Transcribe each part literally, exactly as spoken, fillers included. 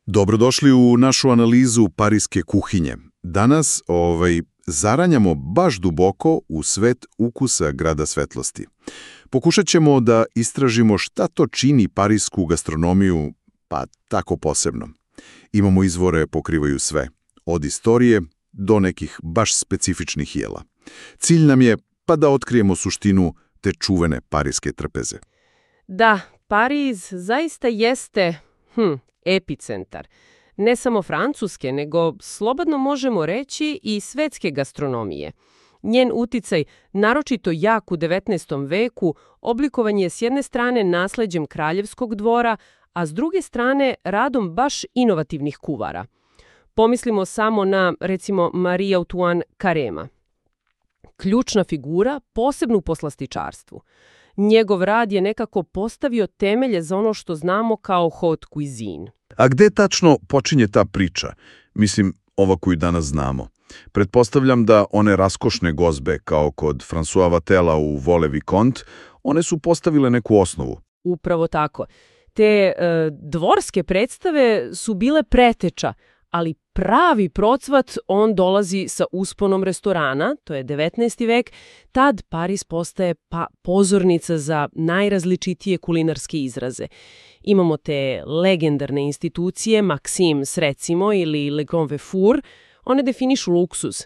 Dobrodošli u našu analizu parijske kuhinje. Danas ovaj, zaranjamo baš duboko u svet ukusa grada svetlosti. Pokušat ćemo da istražimo šta to čini parijsku gastronomiju, pa tako posebno. Imamo izvore pokrivaju sve, od istorije do nekih baš specifičnih jela. Cilj nam je pa da otkrijemo suštinu te čuvene parijske trpeze. Da, Pariz zaista jeste hm, epicentar. Ne samo francuske, nego slobodno možemo reći i svetske gastronomije. Njen uticaj, naročito jak u devetnaestom veku, oblikovan je s jedne strane nasleđem kraljevskog dvora, a s druge strane radom baš inovativnih kuvara. Pomislimo samo na, recimo, Marie-Antoine Carême. Ključna figura, posebno u poslastičarstvu. Njegov rad je nekako postavio temelje za ono što znamo kao haute cuisine. A gde tačno počinje ta priča? Mislim, ova koju danas znamo. Pretpostavljam da one raskošne gozbe, kao kod François Vattela u Vole Vicomte, one su postavile neku osnovu. Upravo tako. Te e, dvorske predstave su bile preteča, ali pravi procvat on dolazi sa usponom restorana, to je devetnaesti vek, tad Pariz postaje pa pozornica za najrazličitije kulinarske izraze. Imamo te legendarne institucije, Maxims recimo ili Le Grand Vefour, one definišu luksuz.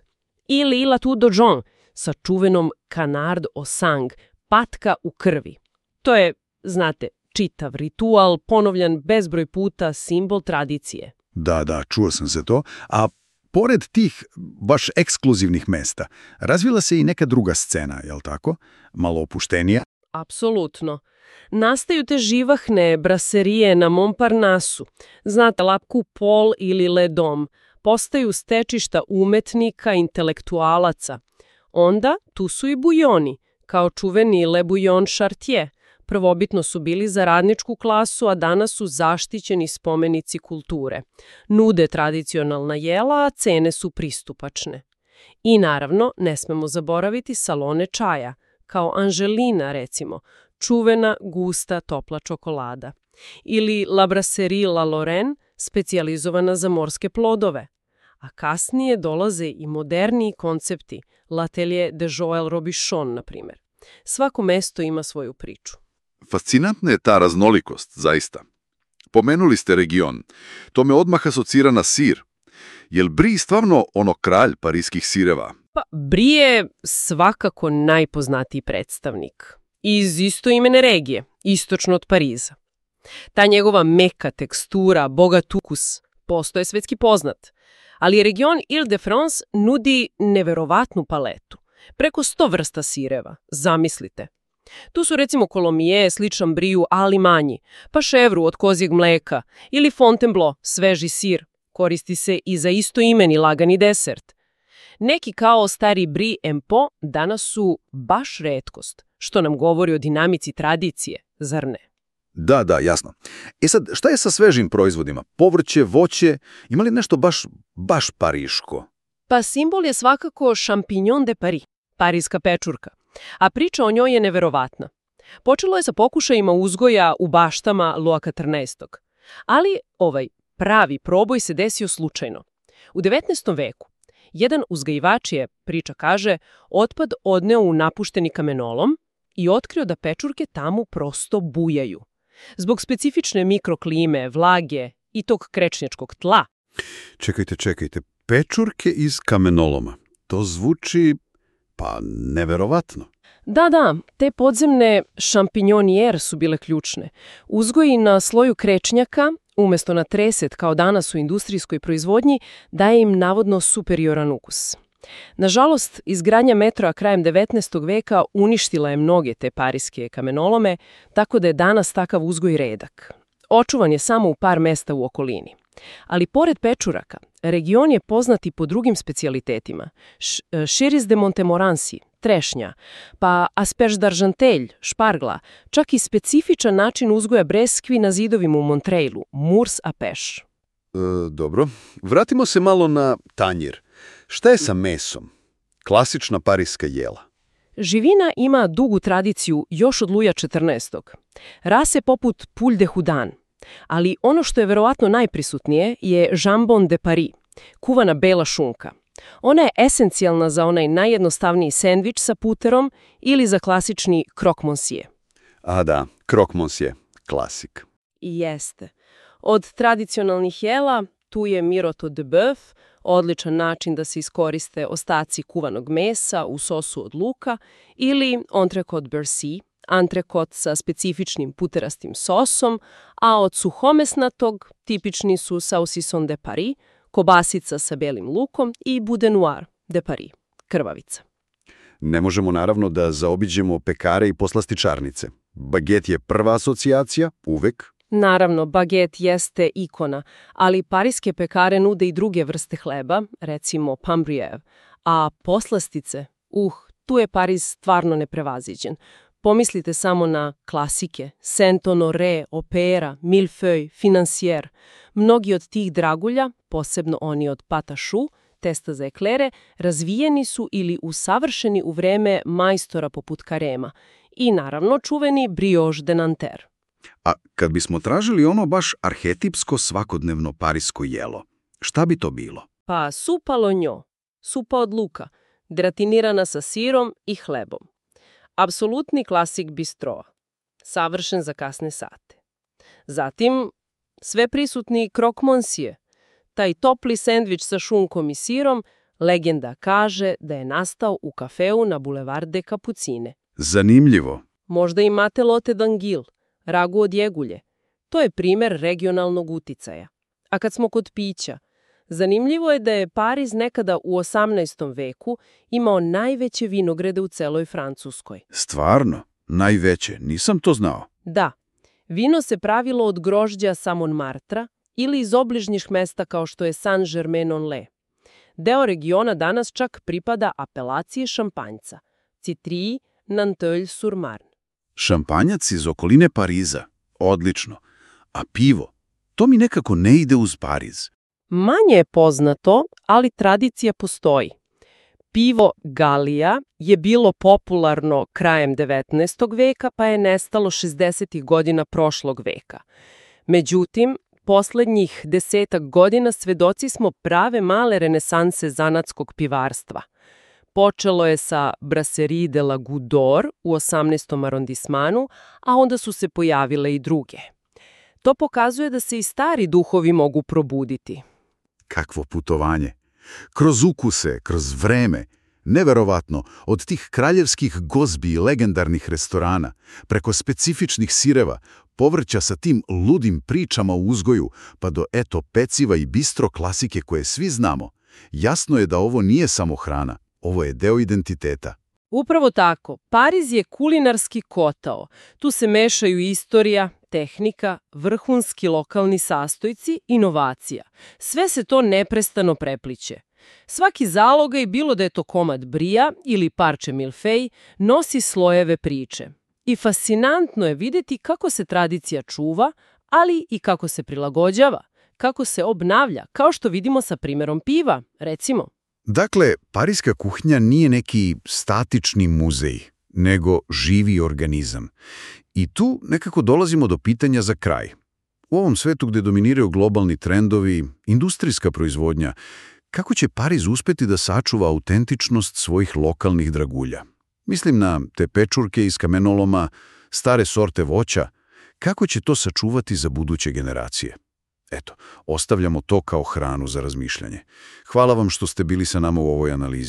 Ili La Tour d'Argent sa čuvenom canard au sang, patka u krvi. To je, znate, čitav ritual, ponovljan bezbroj puta, simbol tradicije. Da, da, čuo sam se to. A pored tih baš ekskluzivnih mesta, razvila se i neka druga scena, jel tako? Malo opuštenija. Apsolutno. Nastaju te živahne braserije na Montparnasu. Znate, La Coupole ili Le Dôme. Postaju stečišta umetnika, intelektualaca. Onda tu su i bujoni, kao čuveni Le Bouillon Chartier. Prvobitno su bili za radničku klasu, a danas su zaštićeni spomenici kulture. Nude tradicionalna jela, a cene su pristupačne. I naravno, ne smemo zaboraviti salone čaja, kao Angelina recimo, čuvena, gusta, topla čokolada. Ili La Brasserie La Lorraine, specijalizovana za morske plodove. A kasnije dolaze i moderniji koncepti, L'Atelier de Joël Robuchon, na primjer. Svako mesto ima svoju priču. Fascinantna je ta raznolikost, zaista. Pomenuli ste region. To me odmah asocira na sir. Jel Brie stvarno ono kralj parijskih sireva? Pa, Brie je svakako najpoznatiji predstavnik. Iz istoimene regije, istočno od Pariza. Ta njegova meka tekstura, bogat ukus, postoje svetski poznat. Ali region Ile-de-France nudi neverovatnu paletu. Preko sto vrsta sireva, zamislite. Tu su recimo Coulommiers, sličan Brieu, ali manji, pa ševru od kozjeg mleka ili Fontainebleau, sveži sir, koristi se i za istoimeni lagani desert. Neki kao stari Brie en Pot danas su baš retkost, što nam govori o dinamici tradicije, zar ne? Da, da, jasno. E sad, šta je sa svežim proizvodima? Povrće, voće, ima li nešto baš, baš pariško? Pa simbol je svakako Champignon de Paris, parijska pečurka. A priča o njoj je neverovatna. Počelo je sa pokušajima uzgoja u baštama Louis četrnaestog. Ali ovaj pravi proboj se desio slučajno. U devetnaestom veku jedan uzgajivač je, priča kaže, otpad odneo u napušteni kamenolom i otkrio da pečurke tamo prosto bujaju. Zbog specifične mikroklime, vlage i tog krečnjačkog tla. Čekajte, čekajte, pečurke iz kamenoloma. To zvuči, pa, neverovatno. Da, da, te podzemne šampinjonijer su bile ključne. Uzgoji na sloju krečnjaka, umjesto na treset kao danas u industrijskoj proizvodnji, daje im navodno superioran ukus. Nažalost, izgradnja metroa krajem devetnaestog veka uništila je mnoge te parijske kamenolome, tako da je danas takav uzgoj redak. Očuvan je samo u par mesta u okolini. Ali pored pečuraka, region je poznat i po drugim specijalitetima. Chiris de Montmorency, trešnja, pa asperge d'Argenteuil, špargla, čak i specifičan način uzgoja breskvi na zidovima u Montreuilu, murs à pêche. E, dobro, vratimo se malo na tanjir. Šta je sa mesom? Klasična parijska jela. Živina ima dugu tradiciju još od Luja četrnaestog. Rase poput Poule de Houdin, Ali ono što je verovatno najprisutnije je jambon de Paris, kuvana bela šunka. Ona je esencijalna za onaj najjednostavniji sendvič sa puterom ili za klasični croque monsieur. A da, croque monsieur, klasik. I jeste. Od tradicionalnih jela tu je miroto de bœuf, odličan način da se iskoriste ostaci kuvanog mesa u sosu od luka, ili entrecôte beurré, antrekot sa specifičnim puterastim sosom, a od suhomesnatog tipični su saucisson de Paris, kobasica sa belim lukom i boudin noir de Paris, krvavica. Ne možemo naravno da zaobiđemo pekare i poslastičarnice. Baget je prva asocijacija, uvek. Naravno, baget jeste ikona, ali pariske pekare nude i druge vrste hleba, recimo pain brûlée, a poslastice, uh, tu je Pariz stvarno neprevaziđen. Pomislite samo na klasike, Saint-Honoré, Opera, Millefeuille, Financière. Mnogi od tih dragulja, posebno oni od pâte à choux, testa za eklere, razvijeni su ili usavršeni u vreme majstora poput Carêma i naravno čuveni brioche de Nanterre. A kad bismo tražili ono baš arhetipsko svakodnevno parisko jelo, šta bi to bilo? Pa supa lognon, supa od luka, gratinirana sa sirom i hlebom. Apsolutni klasik bistroa, savršen za kasne sate. Zatim, sve prisutni croque monsieur, taj topli sendvič sa šunkom i sirom, legenda kaže da je nastao u kafeu na Boulevard de Capucine. Zanimljivo. Možda imate lote d'anguille, ragu od jegulje. To je primer regionalnog uticaja. A kad smo kod pića, zanimljivo je da je Pariz nekada u osamnaestom veku imao najveće vinograde u celoj Francuskoj. Stvarno? Najveće? Nisam to znao. Da. Vino se pravilo od grožđa sa Montmartra ili iz obližnjih mesta kao što je Saint-Germain-en-Laye. Deo regiona danas čak pripada apelaciji šampanjca, Citry Nanteuil-sur-Marne. Šampanjac iz okoline Pariza. Odlično. A pivo? To mi nekako ne ide uz Pariz. Manje je poznato, ali tradicija postoji. Pivo Galija je bilo popularno krajem devetnaestog veka, pa je nestalo šezdesetih godina prošlog veka. Međutim, poslednjih desetak godina svedoci smo prave male renesanse zanatskog pivarstva. Počelo je sa Brasserie de la Goutte d'Or u osamnaestom arondismanu, a onda su se pojavile i druge. To pokazuje da se i stari duhovi mogu probuditi. Kakvo putovanje! Kroz ukuse, kroz vreme, neverovatno, od tih kraljevskih gozbi i legendarnih restorana, preko specifičnih sireva, povrća sa tim ludim pričama o uzgoju, pa do eto peciva i bistro klasike koje svi znamo. Jasno je da ovo nije samo hrana, ovo je deo identiteta. Upravo tako. Pariz je kulinarski kotao. Tu se mešaju istorija, tehnika, vrhunski lokalni sastojci, inovacija. Sve se to neprestano prepliće. Svaki zalogaj, bilo da je to komad brija ili parče milfej, nosi slojeve priče. I fascinantno je vidjeti kako se tradicija čuva, ali i kako se prilagođava, kako se obnavlja, kao što vidimo sa primjerom piva, recimo. Dakle, pariska kuhinja nije neki statični muzej, nego živi organizam. I tu nekako dolazimo do pitanja za kraj. U ovom svetu gdje dominiraju globalni trendovi, industrijska proizvodnja, kako će Pariz uspjeti da sačuva autentičnost svojih lokalnih dragulja? Mislim na te pečurke iz kamenoloma, stare sorte voća. Kako će to sačuvati za buduće generacije? Eto, ostavljamo to kao hranu za razmišljanje. Hvala vam što ste bili sa nama u ovoj analizi.